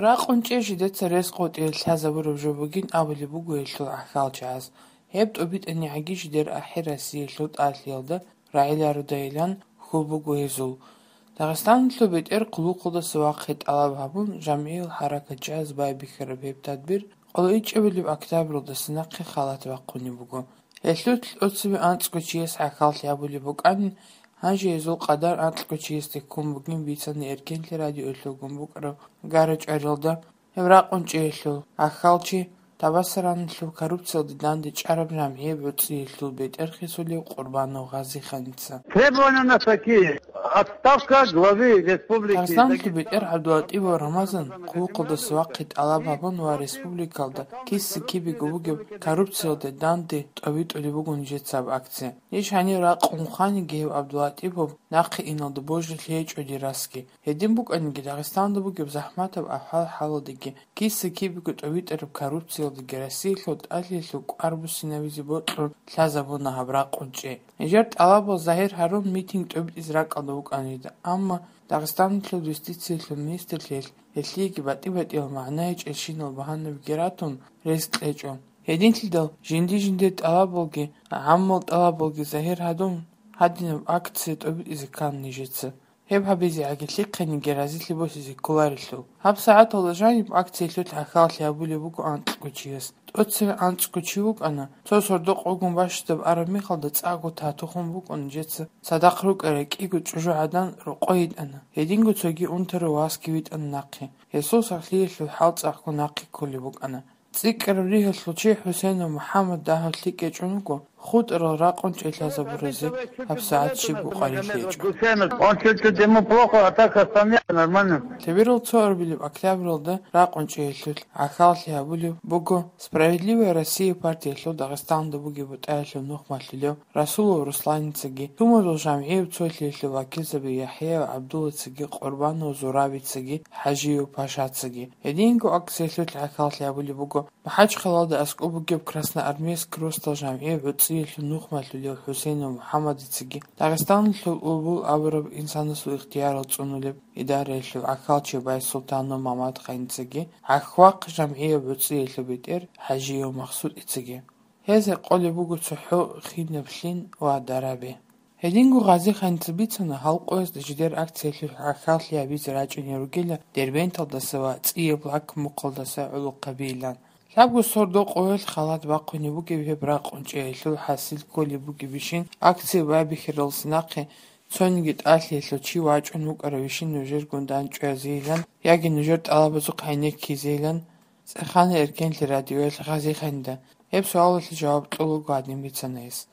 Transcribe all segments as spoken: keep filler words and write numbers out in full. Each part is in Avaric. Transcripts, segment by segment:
Ракъун чӀей жидеца рес къотӀиялъ лъазабураб жо бугин абулеб буго гьелъул гӀахьалчагӀаз. Гьеб тӀубитӀанигӀаги жидер ахӀи Россиялъул тӀалъиялда рагӀилародайилан хьул буго гьезул. Дагъистаналъул бетӀер хъулухъалдаса вахъи тӀалаб гьабун, жамгӀиял хӀаракатчагӀаз байбихьараб гьеб тадбир къоло ичӀабилеб октябралдаса нахъе халат бахъунеб буго. Гьелъул тӀоцебе анцӀго чияс гӀахьаллъи гьабулеб букӀанин, гьанже гьезул къадар анкьго чиясде ккун бугин бицана Эркенлъи радиоялъулгун букӀараб гара-чӀвариялда. Гьеб ракъун чӀеялъул гӀахьалчи Табасараналъул коррупциялде дандечӀараб жамгӀияб гӀуцӀиялъул бетӀер хисулев Къурбанов Гъазиханица. Требования у нас такие. Отставка главы республики. Дагъистаналъул бетӀер ГӀабдулатӀипов Рамазан хъулухъалдаса вахъи тӀалаб гьабун ва республикалда киса-кибего бугеб коррупциялде данде тӀобитӀулеб буго нижецаб акция. Ниж гьанир ракъун хваниги гьев ГӀабдулатӀипов нахъе иналда божилъи гьечӀо дир расги. Гьедин букӀаниги, Дагъистанда бугеб захӀматаб ахӀвал-хӀалалдеги, киса-кибего тӀобитӀараб коррупциялдеги Россиялъул тӀалъиялъул кӀвар буссинабизе бокьун лъазабуна гьаб ракъун чӀей. Нижер тӀалабал загьир гьарун митинг тӀобитӀизе ракӀалда вукӀана жидер, амма Дагъистаналъул юстициялъул министрлъиялъ гьелъиеги батӀи-батӀиял магӀна гьечӀелщинал багьанабиги ратун, рес кьечӀо. Гьединлъидал жинди-жиндир тӀалабалги, гӀаммал тӀалабалги загьир гьадун, гьадинаб акция тӀобитӀизе ккана нижеца. Гьеб гьабизе гӀагарлъихъениги разилъи босизе кколарелъул. Гьаб сагӀаталда жаниб акциялъулъ гӀахьаллъи гьабулеб буго анкьго чияс. ТӀоцеве анцӀго чи вукӀана, цо сордо-къо гун бащдаб араб мехалда цӀакъго тату хун букӀун нижеца цадахъ рукӀарай кӀиго чӀужугӀадан рокъой йитӀана, гьединго цоги унтарав васги витӀана нахъе. Гьесул сахлъиялъул хӀал цӀакъго нахъе кколеб букӀана. ЦӀикӀкӀараб ригьалъул чи ХӀусейнов МухӀаммад дагьав лъикӀ гьечӀун вуго, хутӀарал ракъун чӀей лъазабуразе гьабсагӀат щибго къварилъи гьечӀо. Он чуть-чуть, ему плохо, а так остальные нормально. Лъеберал цо арбилеб октябралда ракъун чӀеялъулъ гӀахьаллъи гьабулеб буго «Справедливая Россия» партиялъул Дагъистанда бугеб бутӀаялъул нухмалъулев Расулов Русланицаги, Тумазул жамгӀияб цолъиялъул вакилзаби ЯхӀяев ГӀабдуллацаги, Къурбанов Зурабицаги, ХӀажиев Пашацаги. Гьединго акциялъулъ гӀахьаллъи гьабулеб буго МахӀачхъалалда аскӀоб бугеб Красноармейск росдал жамгӀияб гӀуцӀиялъул нухмалъулев ХӀусейнов МухӀаммадицаги, Дагъистаналъул Улбул абураб инсанасул ихтиярал цӀунулеб идараялъул гӀахьалчи Байсултанов Мамадханицаги, ГӀахьвахъ жамгӀияб гӀуцӀиялъул бетӀер ХӀажиев Махсудицаги. Гьез гьекъолеб буго цохӀо хинаб лъим ва дараби. Гьединго Гъазиханица бицана, гьал къоязда жидер акциялъулъ гӀахьаллъи гьабизе рачӀунел ругила Дербенталдаса ва ЦӀияб Лак мухъалдаса гӀолохъабийилан. Лъабго сордо-къоялъ халат бахъунеб бугеб гьеб ракъун чӀеялъул хӀасил кколеб бугебищин акция байбихьаралдаса нахъе цониги тӀалъиялъул чи вачӀун вукӀаравищин нужергун дандчӀвазейилан яги нужер тӀалабазухъ гӀенеккизейилан цӀехана Эркенлъи радиоялъ Гъазиханида. Гьеб суалалъе жаваб кьолаго гьадин бицана гьес.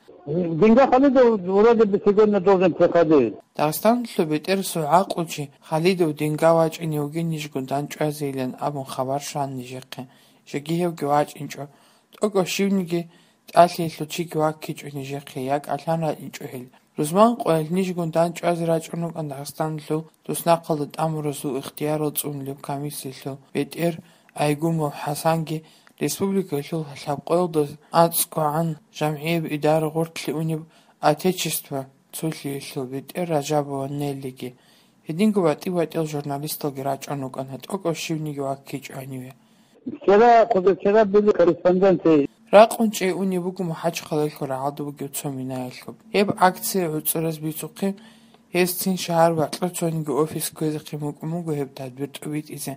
Деньга Халидов вроде бы сегодня должен приходить. Дагъистаналъул бетӀерасул гӀакълучи Халидов Деньга вачӀине вугин нижгун дандчӀвазейилан абун хабар щван нижехъе. Жеги гьевги вачӀинчӀо. ТӀокӀав щивниги тӀалъиялъул чиги ваккичӀо нижехъе, якӀалъан рачӀинчӀо гьел. Рузман къоялъ нижгун дандчӀвазе рачӀун рукӀан Дагъистаналъул туснахъалда тӀамуразул ихтиярал цӀунулеб комиссиялъул бетӀер Айгумов ХӀасанги, республикалъул лъабкъоялда анцӀгогӀан жамгӀияб идара гъорлъе унеб Отечество цолъиялъул бетӀер Ражабова Неллиги, гьединго батӀи-батӀиял журналисталги рачӀун рукӀана, тӀокӀав щивниги ваккичӀо гьаниве. Вчера, позавчера были корреспонденты. Ракъун чӀей унеб буго МахӀачхъалаялъул рагӀалда бугеб цо минаялъуб. Гьеб акция гӀуцӀараз бицухъе, гьез цин шагьар бакьа цониги офис кквезехъин букӀун буго гьеб тадбир тӀубитӀизе.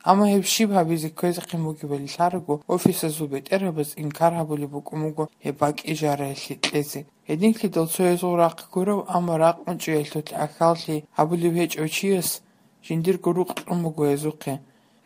Амма гьеб щиб гьабизе кквезехъин бугебали лъараго, офисазул бетӀергьабаз инкар гьабулеб букӀун буго гьеб бакӀи жараялъе кьезе. Гьединлъидал цо гьезул рахъ гурав, амма ракъун чӀеялъулъ гӀахьаллъи гьабулев гьечӀев чияс жиндирго рукъ кьун буго гьезухъе.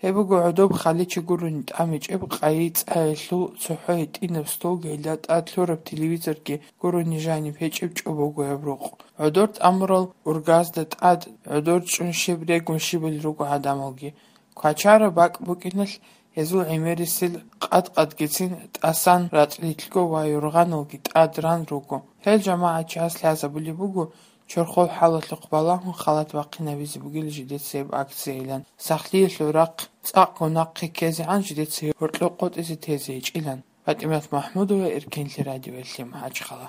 Гьеб буго гӀодоб хъаличи гурони тӀамичӀеб къайи цӀаялъул цохӀо гьитӀинаб столги, гьелда тӀад лъураб телевизорги гурони жаниб гьечӀеб чӀобого гьеб рукъ. ГӀодор тӀамурал ургазда тӀад гӀодор чӀун щиб регун щибали руго гӀадамалги. Квачара бакӀ букӀиналъ гьезул гӀемерисел къад-къадгицин тӀасан рацӀцӀалъго ва юргъаналги тӀад ран руго. Гьел жамагӀатчияс лъазабулеб буго, чорхол хӀалалъухъ балагьун халат бахъинабизе бугила жидецаяб акциялъан, сахлъиялъул рахъ цӀакъго нахъе ккезегӀан жидеца гьоркьоб къотӀизе тезе гьечӀилан. ПатӀимат МахӀмудова, Эркенлъи радиоялъе, МахӀачхъала.